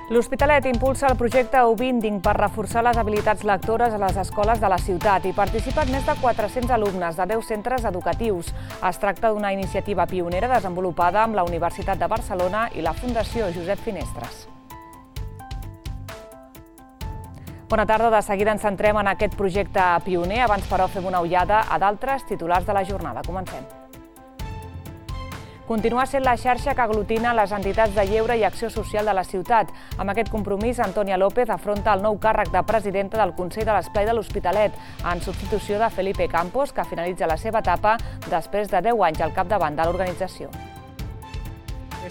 L'Hospitalet impulsa el projecte Ubinding per reforçar les habilitats lectores a les escoles de la ciutat. Hi participen més de 400 alumnes de 10 centres educatius. Es tracta d'una iniciativa pionera desenvolupada amb la Universitat de Barcelona i la Fundació Josep Finestres. Bona tarda, de seguida ens centrem en aquest projecte pioner. Abans, però, fem una ullada a d'altres titulars de la jornada. Comencem. Continua sent la xarxa que aglutina les entitats de lleure i acció social de la ciutat. Amb aquest compromís, Antònia López afronta el nou càrrec de presidenta del Consell de l'Esplai de l'Hospitalet, en substitució de Felipe Campos, que finalitza la seva etapa després de 10 anys al capdavant de l'organització.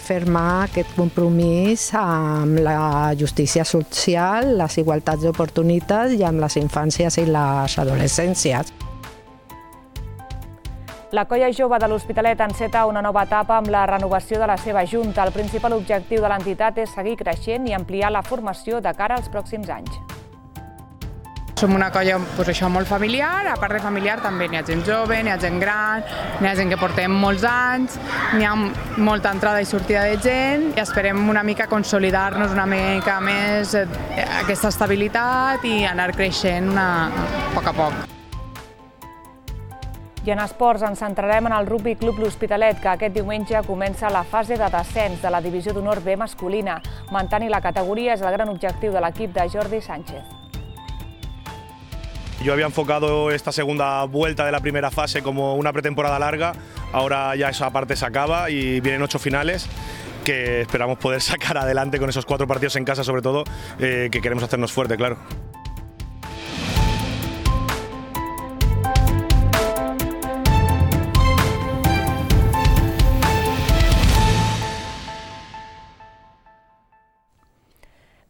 Firmar aquest compromís amb la justícia social, les igualtats d'oportunitats i amb les infàncies i les adolescències. La colla jove de l'Hospitalet enceta una nova etapa amb la renovació de la seva junta. El principal objectiu de l'entitat és seguir creixent i ampliar la formació de cara als pròxims anys. Som una colla molt familiar, a part de familiar també n'hi ha gent jove, n'hi ha gent gran, n'hi ha gent que portem molts anys, n'hi ha molta entrada i sortida de gent i esperem una mica consolidar-nos una mica més aquesta estabilitat i anar creixent a poc a poc. I en esports ens centrarem en el Rugby Club L'Hospitalet, que aquest diumenge comença la fase de descens de la divisió d'honor B masculina. Mantenir la categoria és el gran objectiu de l'equip de Jordi Sánchez. Yo había enfocado esta segunda vuelta de la primera fase como una pretemporada larga, ahora ya esa parte se acaba y vienen 8 finales que esperamos poder sacar adelante con esos 4 partidos en casa, sobre todo, que queremos hacernos fuerte, claro.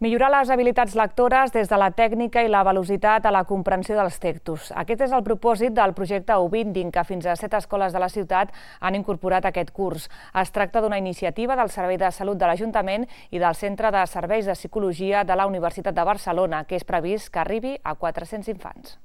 Millorar les habilitats lectores des de la tècnica i la velocitat a la comprensió dels textos. Aquest és el propòsit del projecte Ubinding, que fins a 7 escoles de la ciutat han incorporat aquest curs. Es tracta d'una iniciativa del Servei de Salut de l'Ajuntament i del Centre de Serveis de Psicologia de la Universitat de Barcelona, que és previst que arribi a 400 infants.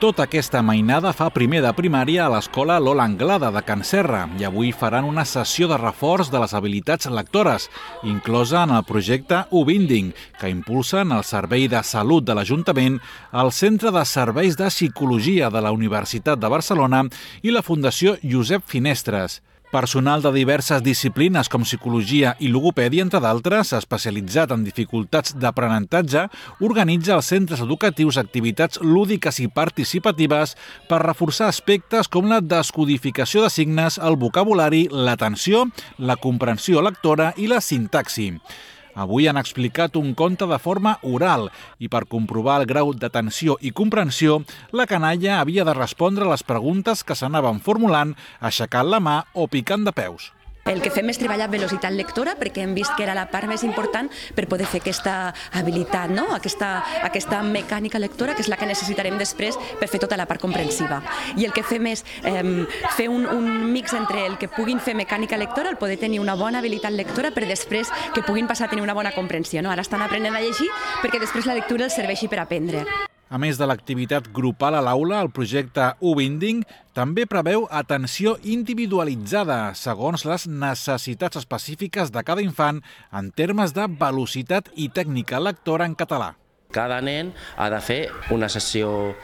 Tota aquesta mainada fa primer de primària a l'escola Lola Anglada de Can Serra i avui faran una sessió de reforç de les habilitats lectores, inclosa en el projecte Ubinding, que impulsen el Servei de Salut de l'Ajuntament, el Centre de Serveis de Psicologia de la Universitat de Barcelona i la Fundació Josep Finestres. Personal de diverses disciplines com psicologia i logopèdia, entre d'altres, especialitzat en dificultats d'aprenentatge, organitza als centres educatius activitats lúdiques i participatives per reforçar aspectes com la descodificació de signes, el vocabulari, l'atenció, la comprensió lectora i la sintaxi. Avui han explicat un conte de forma oral i per comprovar el grau d'atenció i comprensió, la canalla havia de respondre a les preguntes que s'anaven formulant aixecant la mà o picant de peus. El que fem és treballar velocitat lectora perquè hem vist que era la part més important per poder fer aquesta habilitat, no? aquesta mecànica lectora, que és la que necessitarem després per fer tota la part comprensiva. I el que fem és fer un mix entre el que puguin fer mecànica lectora, el poder tenir una bona habilitat lectora per després que puguin passar a tenir una bona comprensió. No? Ara estan aprenent a llegir perquè després la lectura els serveixi per aprendre. A més de l'activitat grupal a l'aula, el projecte Ubinding també preveu atenció individualitzada segons les necessitats específiques de cada infant en termes de velocitat i tècnica lectora en català. Cada nen ha de fer una sessió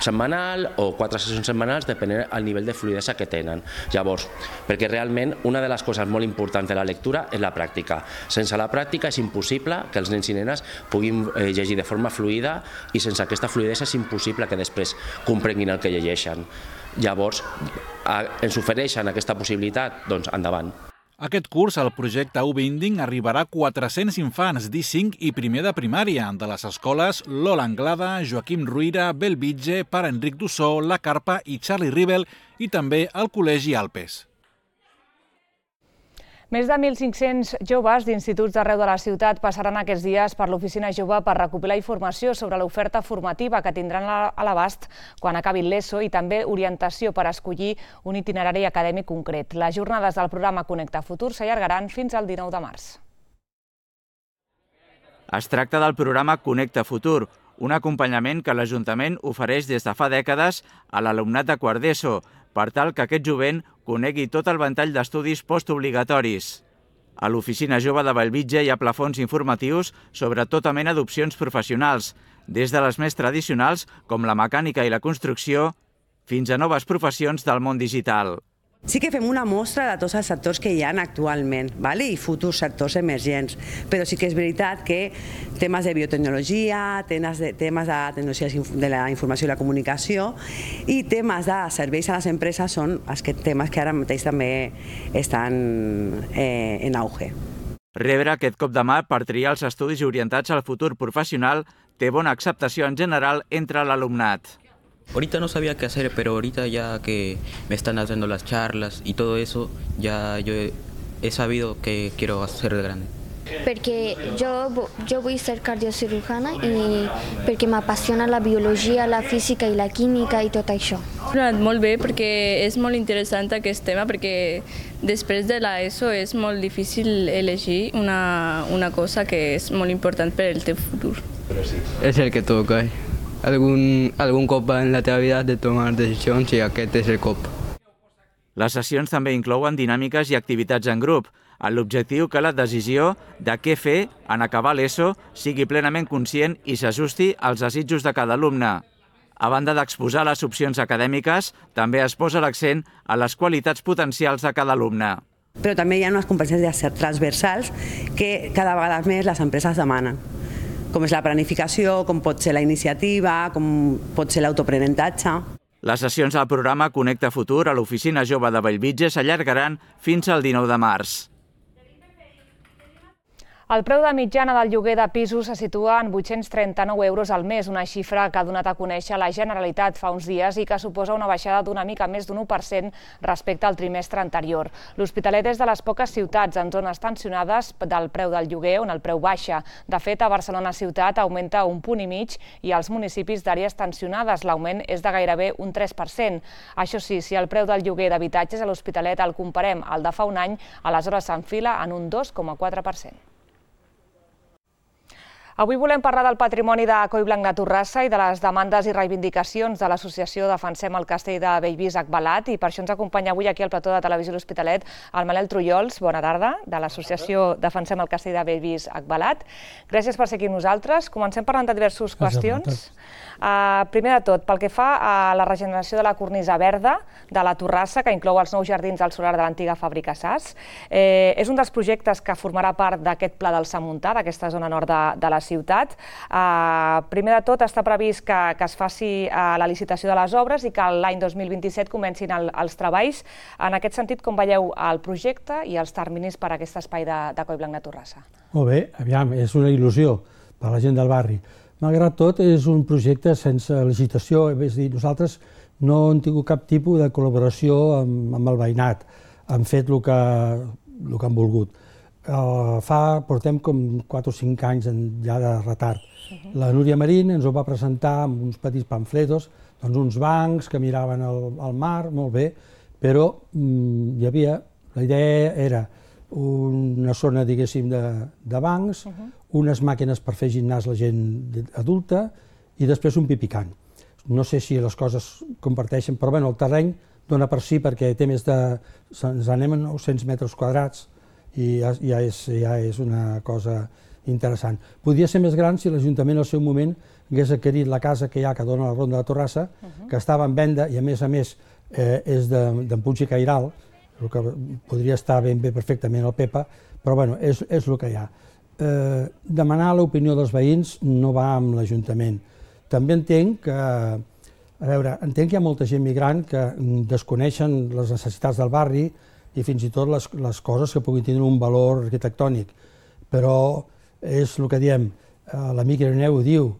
setmanal o 4 sessions setmanals depenent del nivell de fluïdesa que tenen. Llavors, perquè realment una de les coses molt importants de la lectura és la pràctica. Sense la pràctica és impossible que els nens i nenes puguin llegir de forma fluida i sense aquesta fluïdesa és impossible que després comprenguin el que llegeixen. Llavors, ens ofereixen aquesta possibilitat, doncs endavant. Aquest curs, el projecte Ubinding, arribarà a 400 infants d'I5 i primer de primària de les escoles Lola Anglada, Joaquim Ruïra, Bellvitge, Pare Enric d'Ossó, La Carpa i Charlie Rivel i també al Col·legi Alpes. Més de 1.500 joves d'instituts d'arreu de la ciutat passaran aquests dies per l'Oficina Jove per recopilar informació sobre l'oferta formativa que tindran a l'abast quan acabin l'ESO i també orientació per escollir un itinerari acadèmic concret. Les jornades del programa Connecta Futur s'allargaran fins al 19 de març. Es tracta del programa Connecta Futur, un acompanyament que l'Ajuntament ofereix des de fa dècades a l'alumnat de quart d'ESO, per tal que aquest jovent conegui tot el ventall d'estudis postobligatoris. A l'Oficina Jove de Bellvitge hi ha plafons informatius sobre tota mena d'opcions professionals, des de les més tradicionals, com la mecànica i la construcció, fins a noves professions del món digital. Sí que fem una mostra de tots els sectors que hi ha actualment i futurs sectors emergents, però sí que és veritat que temes de biotecnologia, temes de tecnologies de la informació i la comunicació i temes de serveis a les empreses són els temes que ara mateix també estan en auge. Rebre aquest cop de mà per triar els estudis orientats al futur professional té bona acceptació en general entre l'alumnat. Ahorita no sabía qué hacer, pero ahorita ya que me están haciendo las charlas y todo eso, ya yo he sabido que quiero hacer de grande. Perquè jo vull ser cardiocirurgiana i perquè m'apassiona la biologia, la física i la química i tot això. Molt bé, perquè és molt interessant aquest tema, perquè després de l'ESO és molt difícil elegir una cosa que és molt important per al teu futur. És el que toca. Algun cop en la teva vida has de tomar decisions i aquest és el cop. Les sessions també inclouen dinàmiques i activitats en grup, amb l'objectiu que la decisió de què fer en acabar l'ESO sigui plenament conscient i s'ajusti als desitjos de cada alumne. A banda d'exposar les opcions acadèmiques, també es posa l'accent a les qualitats potencials de cada alumne. Però també hi ha unes competències transversals que cada vegada més les empreses demanen, com és la planificació, com pot ser la iniciativa, com pot ser l'autoaprenentatge. Les sessions del programa Connecta Futur a l'Oficina Jove de Bellvitge s'allargaran fins al 19 de març. El preu de mitjana del lloguer de pisos se situa en 839 euros al mes, una xifra que ha donat a conèixer la Generalitat fa uns dies i que suposa una baixada d'una mica més d'un 1% respecte al trimestre anterior. L'Hospitalet és de les poques ciutats en zones tensionades del preu del lloguer on el preu baixa. De fet, a Barcelona ciutat augmenta 1,5 punts i als municipis d'àrees tensionades l'augment és de gairebé un 3%. Això sí, si el preu del lloguer d'habitatges a l'Hospitalet el comparem al de fa un any, aleshores s'enfila en un 2,4%. Avui volem parlar del patrimoni de Collblanc de Torrassa i de les demandes i reivindicacions de l'associació Defensem el Castell de Bellvís Agbalat i per això ens acompanya avui aquí al plató de Televisió L'Hospitalet el Manel Trullols, bona tarda, de l'associació Defensem el Castell de Bellvís Agbalat. Gràcies per ser aquí amb nosaltres. Comencem parlant de diverses qüestions. Primer de tot, pel que fa a la regeneració de la cornisa verda de la Torrassa, que inclou els nous jardins al solar de l'antiga fàbrica SAS, és un dels projectes que formarà part d'aquest pla del Sant Montà, d'aquesta zona nord de la ciutat. Primer de tot, està previst que es faci la licitació de les obres i que l'any 2027 comencin els treballs. En aquest sentit, com veieu el projecte i els terminis per a aquest espai de Collblanc de Torrassa? Molt bé, aviam, és una il·lusió per a la gent del barri. Malgrat tot, és un projecte sense licitació, és a dir, nosaltres no hem tingut cap tipus de col·laboració amb el veïnat, han fet el que han volgut. Portem com 4 o 5 anys ja de retard. La Núria Marín ens ho va presentar amb uns petits pamfletos, doncs uns bancs que miraven al mar, molt bé, però hi havia, la idea era una zona, diguéssim, de bancs, unes màquines per fer gimnàs la gent adulta i després un pipicant. No sé si les coses comparteixen, però el terreny dona per si perquè té més de... ens anem a 900 metres quadrats i ja és una cosa interessant. Podria ser més gran si l'Ajuntament al seu moment hagués adquirit la casa que hi ha que dona la Ronda de Torrassa, que estava en venda i a més és d'en Puig i Cairal, el que podria estar ben bé perfectament al Pepa, però és el que hi ha. Demanar l'opinió dels veïns no va amb l'Ajuntament. També entenc que hi ha molta gent migrant que desconeixen les necessitats del barri i fins i tot les coses que puguin tenir un valor arquitectònic. Però és el que diem, l'amic Ireneu ho diu,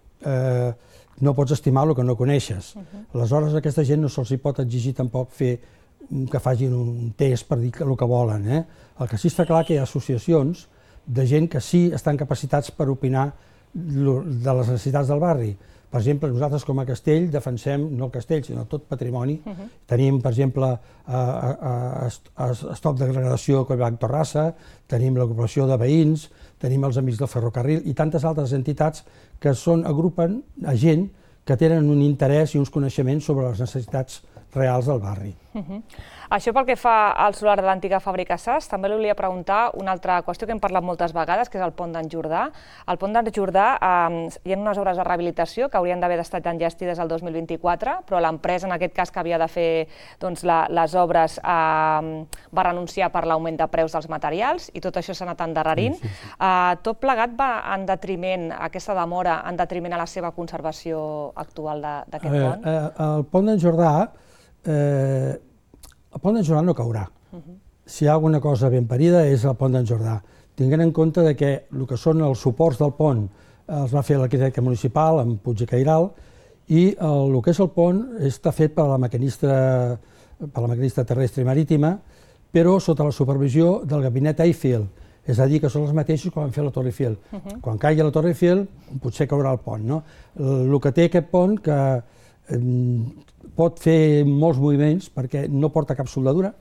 no pots estimar el que no coneixes. Aleshores, a aquesta gent no se'ls pot exigir tampoc que facin un test per dir el que volen. El que sí està clar que hi ha associacions de gent que sí estan capacitats per opinar de les necessitats del barri. Per exemple, nosaltres com a castell defensem, no el castell, sinó tot patrimoni. Tenim, per exemple, Stop Degradació Collblanc Torrassa, tenim l'agrupació de veïns, tenim els Amics del Ferrocarril i tantes altres entitats que agrupen a gent que tenen un interès i uns coneixements sobre les necessitats reals del barri. Això pel que fa al solar de l'antiga fàbrica SAS, també li volia preguntar una altra qüestió que hem parlat moltes vegades, que és el pont d'en Jordà. Al pont d'en Jordà hi ha unes obres de rehabilitació que haurien d'haver estat enllestides el 2024, però l'empresa, en aquest cas, que havia de fer les obres, va renunciar per l'augment de preus dels materials i tot això s'ha anat endarrerint. Tot plegat va en detriment, aquesta demora, en detriment a la seva conservació actual d'aquest pont? El pont d'en Jordà no caurà. Si hi ha alguna cosa ben parida és el pont d'en Jordà. Tinguent en compte que el que són els suports del pont els va fer l'arquitecte municipal, en Puig i Cairal, i el que és el pont està fet per la maquinista terrestre i marítima, però sota la supervisió del gabinet Eiffel, és a dir, que són els mateixos que van fer la Torre Eiffel. Quan caigui la Torre Eiffel, potser caurà el pont. El que té aquest pont, que pot fer molts moviments, perquè no porta cap soldadura,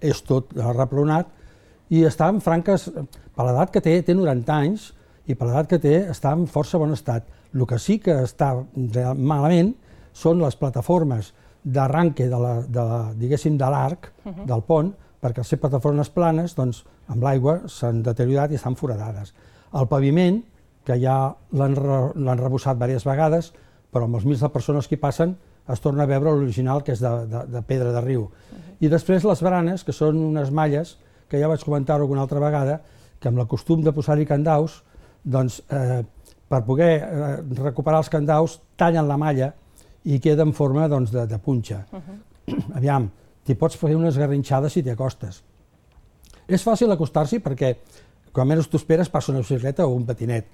és tot repronat, i està en franques, per l'edat que té 90 anys, i per l'edat que té està en força bon estat. El que sí que està malament són les plataformes d'arranque de l'arc del pont, perquè al ser plataformes planes, amb l'aigua s'han deteriorat i estan foradades. El paviment, que ja l'han rebossat diverses vegades, però amb els mils de persones que hi passen es torna a veure l'original, que és de pedra de riu. I després les baranes, que són unes malles, que ja vaig comentar-ho alguna altra vegada, que amb el costum de posar-hi candaus, per poder recuperar els candaus, tallen la malla i queda en forma de punxa. Aviam, t'hi pots fer unes garrinxades si t'hi acostes. És fàcil acostar-s'hi perquè, quan menys t'ho esperes, passa una bicicleta o un patinet.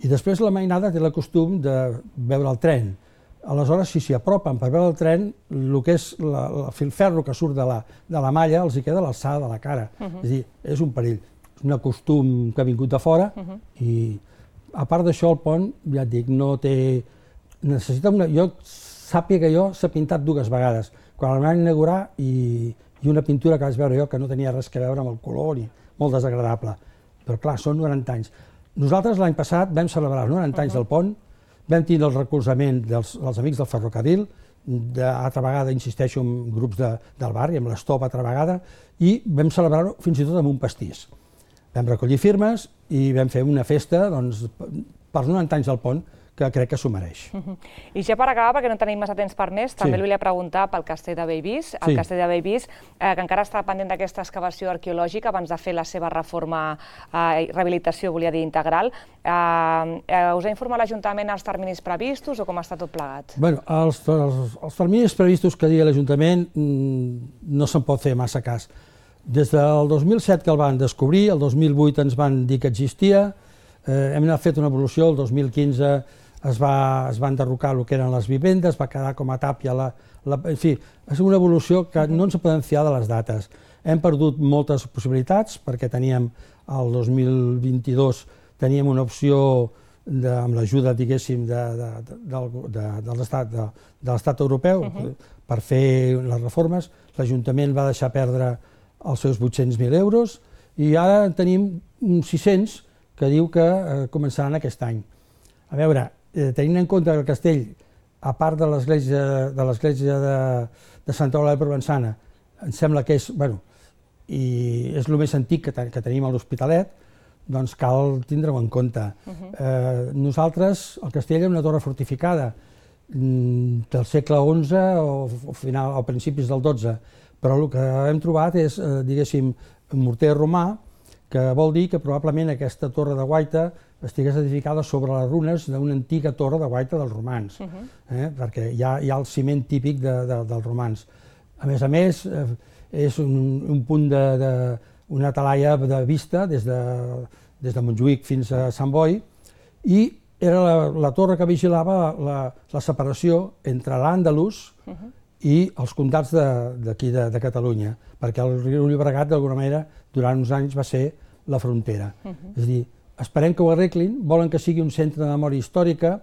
I després la mainada té el costum de veure el tren. Aleshores, si s'hi apropen per veure el tren, el que és el filferro que surt de la malla els hi queda a l'alçada de la cara. És a dir, és un perill. És un costum que ha vingut de fora i, a part d'això, el pont, ja et dic, no té... Necessita una... Jo sàpiga que jo s'ha pintat 2 vegades. Quan el van inaugurar i una pintura que vaig veure jo que no tenia res a veure amb el color ni molt desagradable. Però clar, són 90 anys. Nosaltres l'any passat vam celebrar els 90 anys del pont, vam tindre el recolzament dels amics del ferrocarril, altra vegada, insisteixo, amb grups del barri, amb l'Stop altra vegada, i vam celebrar-ho fins i tot amb un pastís. Vam recollir firmes i vam fer una festa per 90 anys del pont, que crec que s'ho mereix. I ja per acabar, perquè no tenim massa temps per més, també li volia preguntar pel castell de Bellvís, el castell de Bellvís, que encara està pendent d'aquesta excavació arqueològica abans de fer la seva reforma, rehabilitació, volia dir, integral. Us ha informat l'Ajuntament els terminis previstos o com està tot plegat? Bé, els terminis previstos que digui l'Ajuntament no se'n pot fer massa cas. Des del 2007 que el van descobrir, el 2008 ens van dir que existia, hem fet una evolució, el 2015 es va enderrocar el que eren les vivendes, va quedar com a tàpia en fi, és una evolució que no ens podem fiar de les dates. Hem perdut moltes possibilitats perquè teníem, el 2022, teníem una opció amb l'ajuda, diguéssim, de l'estat europeu per fer les reformes. L'Ajuntament va deixar perdre els seus 800.000 euros i ara tenim uns 600 que diu que començaran aquest any. A veure, tenint en compte que el castell, a part de l'església de Santa Eulàlia Provençana, em sembla que és, bueno, i és el més antic que tenim a l'Hospitalet, doncs cal tindre-ho en compte. Nosaltres, el castell és una torre fortificada del segle XI o principis del XII, però el que hem trobat és, diguéssim, un morter romà, que vol dir que probablement aquesta torre de guaita estigués edificada sobre les runes d'una antiga torre de guaita dels romans, perquè hi ha el ciment típic dels romans. A més, és un punt d'una talaia de vista des de Montjuïc fins a Sant Boi, i era la torre que vigilava la separació entre l'Àndalus i els comtats d'aquí de Catalunya, perquè el riu Llobregat, d'alguna manera, durant uns anys va ser la frontera. És a dir, esperem que ho arreglin, volen que sigui un centre de memòria històrica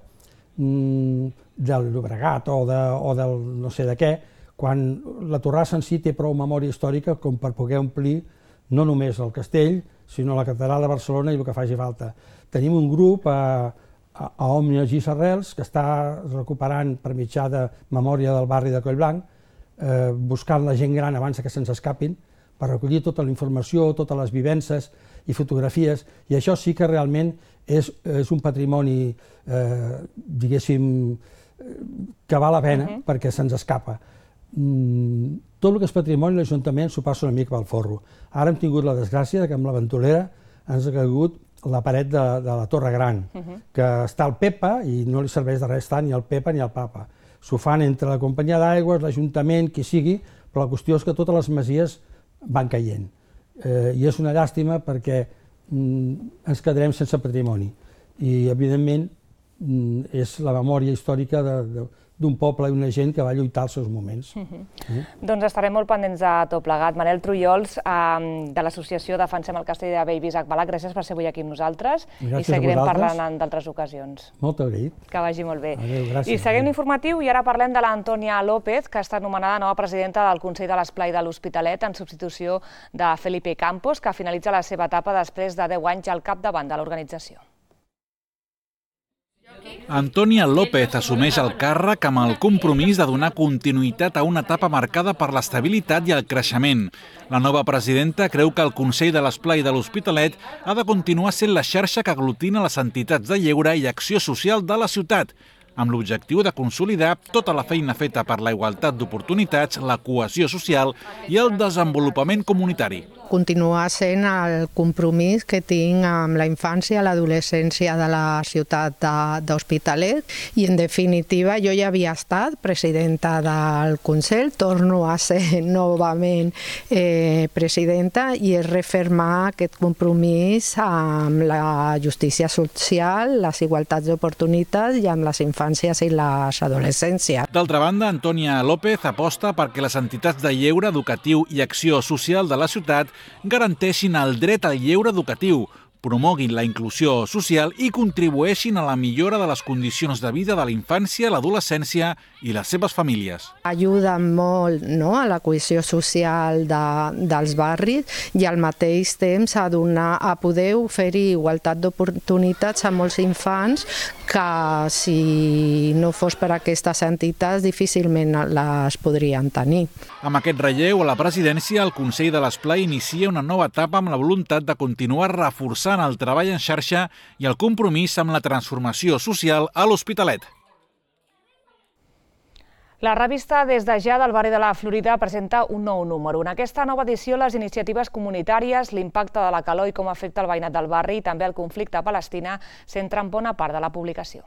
del Llobregat o del no sé de què, quan la Torrassa en si té prou memòria històrica com per poder omplir no només el castell, sinó la catedral de Barcelona i el que faci falta. Tenim un grup a Òmnies i Sarrels que està recuperant per mitjà de memòria del barri de Collblanc buscant la gent gran abans que se'ns escapin, per recollir tota la informació, totes les vivències i fotografies, i això sí que realment és un patrimoni, diguéssim, que val la pena perquè se'ns escapa. Tot el que és patrimoni l'Ajuntament s'ho passa una mica pel forro. Ara hem tingut la desgràcia que amb la ventolera ens ha caigut la paret de la Torre Gran, que està al Pepa i no li serveix de res estar ni al Pepa ni al Papa. S'ho fan entre la companyia d'aigües, l'Ajuntament, qui sigui, però la qüestió és que totes les masies van caient. I és una llàstima perquè ens quedarem sense patrimoni. I, evidentment, és la memòria històrica d'un poble i una gent que va lluitar als seus moments. Doncs estarem molt pendents de tot plegat. Manel Trullols, de l'associació Defensem el Castell de Bell Isaac Balac, gràcies per ser avui aquí amb nosaltres i seguirem parlant en d'altres ocasions. Molt agraït. Que vagi molt bé. Adéu, gràcies. I seguim l'informatiu i ara parlem de l'Antònia López, que ha estat nomenada nova presidenta del Consell de l'Esplai de l'Hospitalet en substitució de Felipe Campos, que finalitza la seva etapa després de 10 anys al capdavant de l'organització. Antònia López assumeix el càrrec amb el compromís de donar continuïtat a una etapa marcada per l'estabilitat i el creixement. La nova presidenta creu que el Consell de l'Esplai de l'Hospitalet ha de continuar sent la xarxa que aglutina les entitats de lleure i acció social de la ciutat, amb l'objectiu de consolidar tota la feina feta per la igualtat d'oportunitats, la cohesió social i el desenvolupament comunitari. Continuar sent el compromís que tinc amb la infància i l'adolescència de la ciutat d'Hospitalet i, en definitiva, jo ja havia estat presidenta del Consell, torno a ser novament presidenta i és refermar aquest compromís amb la justícia social, les igualtats d'oportunitats i amb les infàncies i les adolescències. D'altra banda, Antònia López aposta perquè les entitats de lleure educatiu i acció social de la ciutat garanteixin el dret al lleure educatiu, promoguin la inclusió social i contribueixin a la millora de les condicions de vida de la infància, l'adolescència i les seves famílies. Ajuden molt a la cohesió social dels barris i al mateix temps a poder oferir igualtat d'oportunitats a molts infants que si no fos per aquestes entitats difícilment les podrien tenir. Amb aquest relleu a la presidència, el Consell de l'Esplai inicia una nova etapa amb la voluntat de continuar reforçant el treball en xarxa i el compromís amb la transformació social a l'Hospitalet. La revista Des de ja del barri de la Florida presenta un nou número. En aquesta nova edició, les iniciatives comunitàries, l'impacte de la calor i com afecta el veïnat del barri i també el conflicte a Palestina centren bona part de la publicació.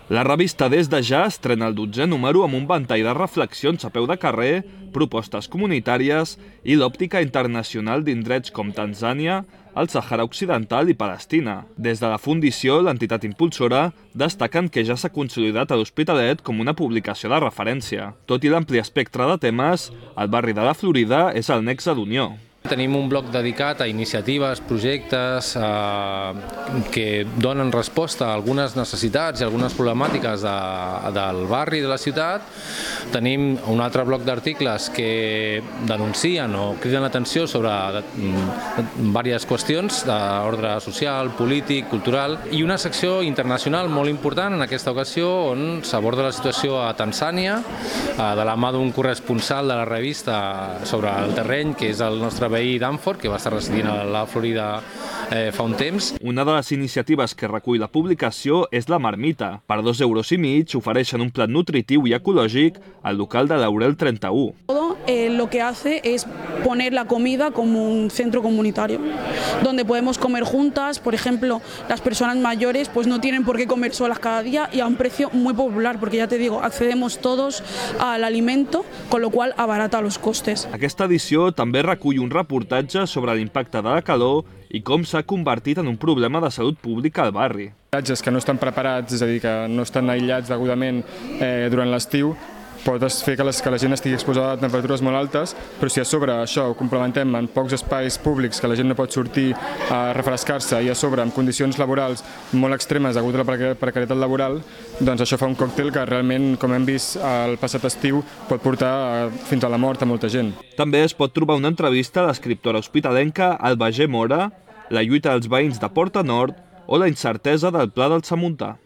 La revista Des de ja estrena el 12è número amb un ventall de reflexions a peu de carrer, propostes comunitàries i l'òptica internacional d'indrets com Tanzània, el Sàhara Occidental i Palestina. Des de la Fundició, l'entitat impulsora, destaquen que ja s'ha consolidat a l'Hospitalet com una publicació de referència. Tot i l'ampli espectre de temes, el barri de la Florida és el nexe d'unió. Tenim un bloc dedicat a iniciatives, projectes que donen resposta a algunes necessitats i algunes problemàtiques del barri de la ciutat. Tenim un altre bloc d'articles que denuncien o criden l'atenció sobre diverses qüestions d'ordre social, polític, cultural i una secció internacional molt important en aquesta ocasió on s'aborda la situació a Tanzània de la mà d'un corresponsal de la revista sobre el terreny que és el nostre veí Danforth, que va estar residint a la Florida fa un temps. Una de les iniciatives que recull la publicació és la Marmita. Per 2,5 € ofereixen un plat nutritiu i ecològic al local de Laurel 31. Lo que hace es poner la comida como un centro comunitario, donde podemos comer juntas. Por ejemplo, las personas mayores pues no tienen por qué comer solas cada día y a un precio muy popular, porque ya te digo, accedemos todos al alimento, con lo cual abarata los costes. Aquesta edició també recull un reportatge sobre l'impacte de la calor i com s'ha convertit en un problema de salut pública al barri. Habitatges que no estan preparats, és a dir, que no estan aïllats degudament durant l'estiu, pot fer que la gent estigui exposada a temperatures molt altes, però si a sobre això ho complementem en pocs espais públics que la gent no pot sortir a refrescar-se i a sobre amb condicions laborals molt extremes degut a la precarietat laboral, doncs això fa un còctel que realment, com hem vist el passat estiu, pot portar fins a la mort a molta gent. També es pot trobar una entrevista a l'escriptora hospitalenca Alba G. Mora, la lluita dels veïns de Porta Nord o la incertesa del Pla del Samuntà.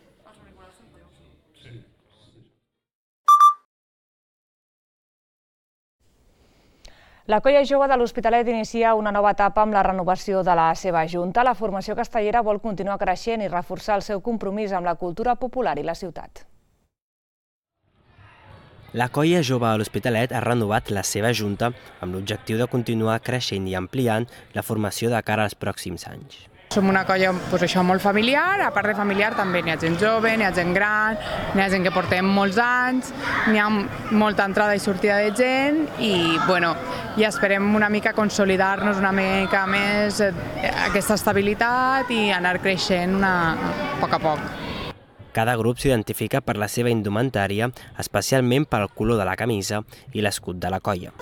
La colla jove de l'Hospitalet inicia una nova etapa amb la renovació de la seva junta. La formació castellera vol continuar creixent i reforçar el seu compromís amb la cultura popular i la ciutat. La colla jove de l'Hospitalet ha renovat la seva junta amb l'objectiu de continuar creixent i ampliant la formació de cara als pròxims anys. Som una colla molt familiar, a part de familiar també n'hi ha gent jove, n'hi ha gent gran, n'hi ha gent que portem molts anys, n'hi ha molta entrada i sortida de gent i ja esperem una mica consolidar-nos una mica més aquesta estabilitat i anar creixent a poc a poc. Cada grup s'identifica per la seva indumentària, especialment pel color de la camisa i l'escut de la colla.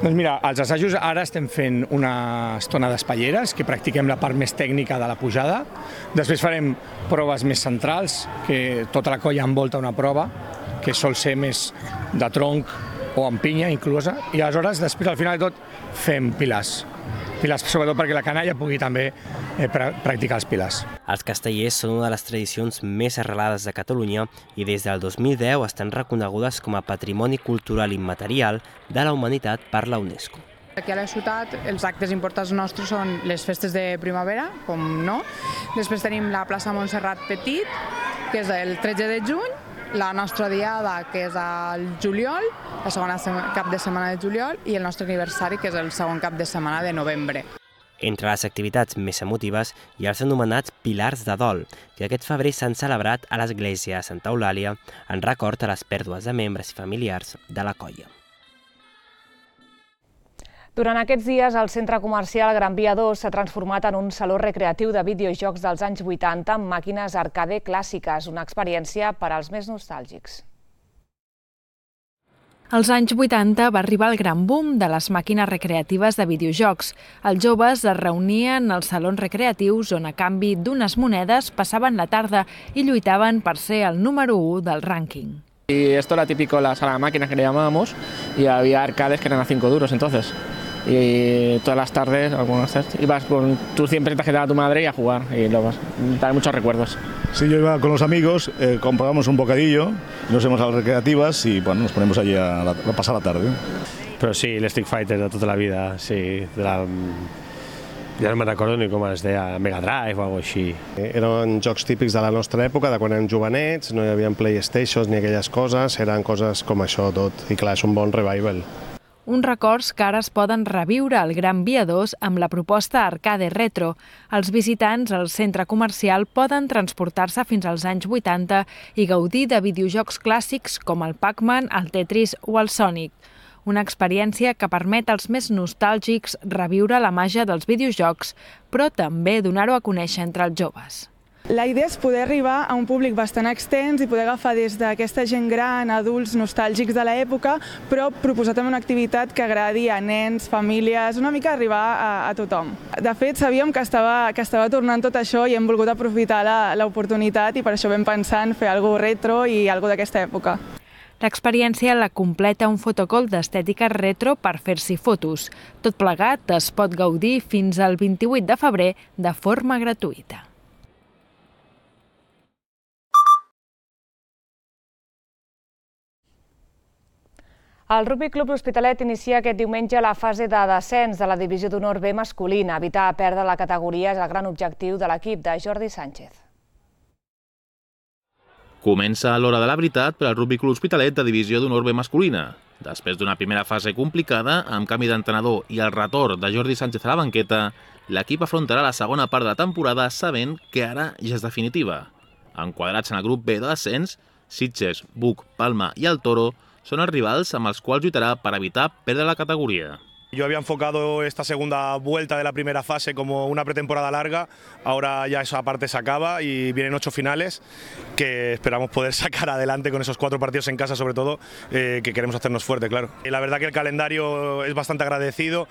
Doncs mira, als assajos ara estem fent una estona d'espatlleres, que practiquem la part més tècnica de la pujada. Després farem proves més centrals, que tota la colla envolta una prova, que sol ser més de tronc o amb pinya inclosa, i aleshores, després, al final de tot, fem pilars. Pilars, sobretot perquè la canalla pugui també practicar els pilars. Els castellers són una de les tradicions més arrelades de Catalunya i des del 2010 estan reconegudes com a Patrimoni Cultural Immaterial de la Humanitat per la UNESCO. Aquí a la ciutat els actes importants nostres són les festes de primavera, com no. Després tenim la plaça Montserrat Petit, que és el 13 de juny, la nostra diada, que és al juliol, la segona cap de setmana de juliol, i el nostre aniversari, que és el segon cap de setmana de novembre. Entre les activitats més emotives hi ha els anomenats Pilars de Dol, que aquest febrer s'han celebrat a l'església de Santa Eulàlia en record a les pèrdues de membres i familiars de la colla. Durant aquests dies, el centre comercial Gran Via 2 s'ha transformat en un saló recreatiu de videojocs dels anys 80 amb màquines arcade clàssiques, una experiència per als més nostàlgics. Als anys 80 va arribar el gran boom de les màquines recreatives de videojocs. Els joves es reunien als salons recreatius on a canvi d'unes monedes passaven la tarda i lluitaven per ser el número 1 del rànquing. Y esto era típico la sala de máquinas que le llamábamos y había arcades que eran a 5 duros entonces. Y todas las tardes, ibas con tus 100 pesetas que te daba tu madre y a jugar y luego trae muchos recuerdos. Sí, yo iba con los amigos, comprábamos un bocadillo, nos íbamos a las recreativas y bueno, nos ponemos allí a pasar la tarde. Però sí, l'Street Fighter de tota la vida, sí. Ja no me'n recordo ni com es deia, Mega Drive o alguna cosa així. Eren jocs típics de la nostra època, de quan érem jovenets, no hi havia PlayStation ni aquelles coses, eren coses com això tot, i clar, és un bon revival. Uns records que ara es poden reviure al Gran Via 2 amb la proposta Arcade Retro. Els visitants al centre comercial poden transportar-se fins als anys 80 i gaudir de videojocs clàssics com el Pac-Man, el Tetris o el Sonic. Una experiència que permet als més nostàlgics reviure la màgia dels videojocs, però també donar-ho a conèixer entre els joves. La idea és poder arribar a un públic bastant extens i poder agafar des d'aquesta gent gran, adults nostàlgics de l'època, però proposar també una activitat que agradi a nens, famílies, una mica arribar a tothom. De fet, sabíem que estava tornant tot això i hem volgut aprofitar l'oportunitat i per això vam pensar en fer alguna cosa retro i alguna d'aquesta època. L'experiència la completa un fotocol d'estètica retro per fer-s'hi fotos. Tot plegat es pot gaudir fins al 28 de febrer de forma gratuïta. El Rugby Club L'Hospitalet inicia aquest diumenge la fase de descens de la divisió d'honor B masculina. Evitar perdre la categoria és el gran objectiu de l'equip de Jordi Sánchez. Comença l'hora de la veritat per al Rugby Club L'Hospitalet de divisió d'honor B masculina. Després d'una primera fase complicada, amb canvi d'entrenador i el retorn de Jordi Sánchez a la banqueta, l'equip afrontarà la segona part de la temporada sabent que ara ja és definitiva. Enquadrats en el grup B de descens, Sitges, Buc, Palma i el Toro són els rivals amb els quals lluitarà per evitar perdre la categoria. Yo había enfocado esta segunda vuelta de la primera fase como una pretemporada larga, ahora ya esa parte se acaba y vienen 8 finales que esperamos poder sacar adelante con esos 4 partidos en casa sobre todo, que queremos hacernos fuerte, claro. La verdad que el calendario es bastante agradecido,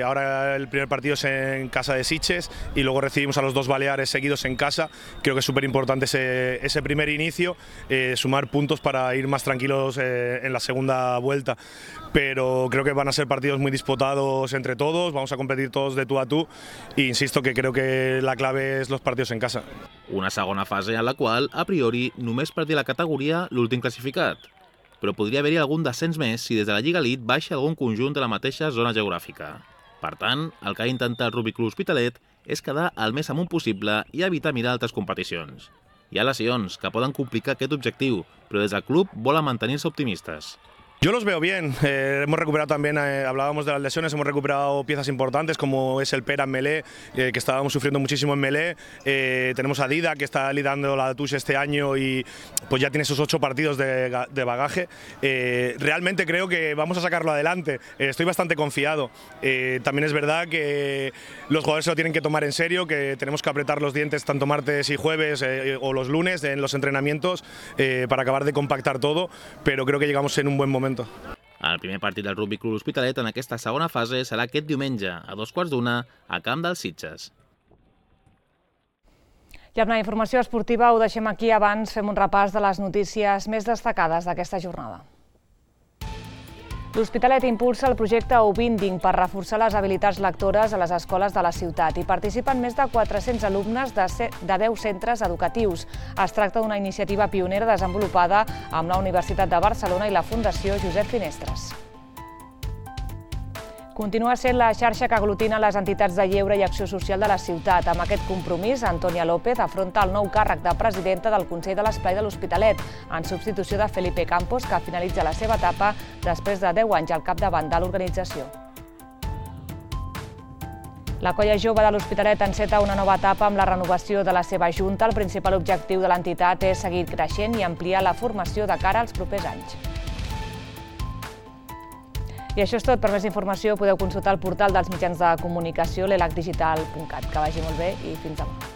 ahora el primer partido es en casa de Sitges y luego recibimos a los 2 Baleares seguidos en casa, creo que es súper importante ese primer inicio, sumar puntos para ir más tranquilos en la segunda vuelta, pero creo que van a ser partidos muy disputados entre todos, vamos a competir todos de tú a tú e insisto que creo que la clave es los partidos en casa. Una segona fase en la qual, a priori, només perdia la categoria l'últim classificat. però podria haver-hi algun descens més si des de la Lliga Elite baixa algun conjunt de la mateixa zona geogràfica. Per tant, el que ha d'intentar el Rugby Club Hospitalet és quedar el més amunt possible i evitar mirar altres competicions. Hi ha lesions que poden complicar aquest objectiu, però des del club volen mantenir-se optimistes. Yo los veo bien, hemos recuperado también, hablábamos de las lesiones, hemos recuperado piezas importantes como es el Pera en Melé, que estábamos sufriendo muchísimo en Melé, tenemos a Dida que está liderando la Touche este año y pues ya tiene esos 8 partidos de bagaje. Realmente creo que vamos a sacarlo adelante, estoy bastante confiado. También es verdad que los jugadores se lo tienen que tomar en serio, que tenemos que apretar los dientes tanto martes y jueves o los lunes en los entrenamientos para acabar de compactar todo, pero creo que llegamos en un buen momento. El primer partit del Rugby Club Hospitalet en aquesta segona fase serà aquest diumenge, a 2:15, a Camp dels Sitges. I amb la informació esportiva ho deixem aquí. Abans fem un repàs de les notícies més destacades d'aquesta jornada. L'Hospitalet impulsa el projecte Ubinding per reforçar les habilitats lectores a les escoles de la ciutat. Hi participen més de 400 alumnes de 10 centres educatius. Es tracta d'una iniciativa pionera desenvolupada amb la Universitat de Barcelona i la Fundació Josep Finestres. Continua sent la xarxa que aglutina les entitats de lleure i acció social de la ciutat. Amb aquest compromís, Antònia López afronta el nou càrrec de presidenta del Consell de l'Esplai de l'Hospitalet, en substitució de Felipe Campos, que finalitza la seva etapa després de 10 anys al capdavant de l'organització. La colla jove de l'Hospitalet enceta una nova etapa amb la renovació de la seva junta. El principal objectiu de l'entitat és seguir creixent i ampliar la formació de cara als propers anys. I això és tot. Per més informació podeu consultar el portal dels mitjans de comunicació, l'elacdigital.cat. Que vagi molt bé i fins demà.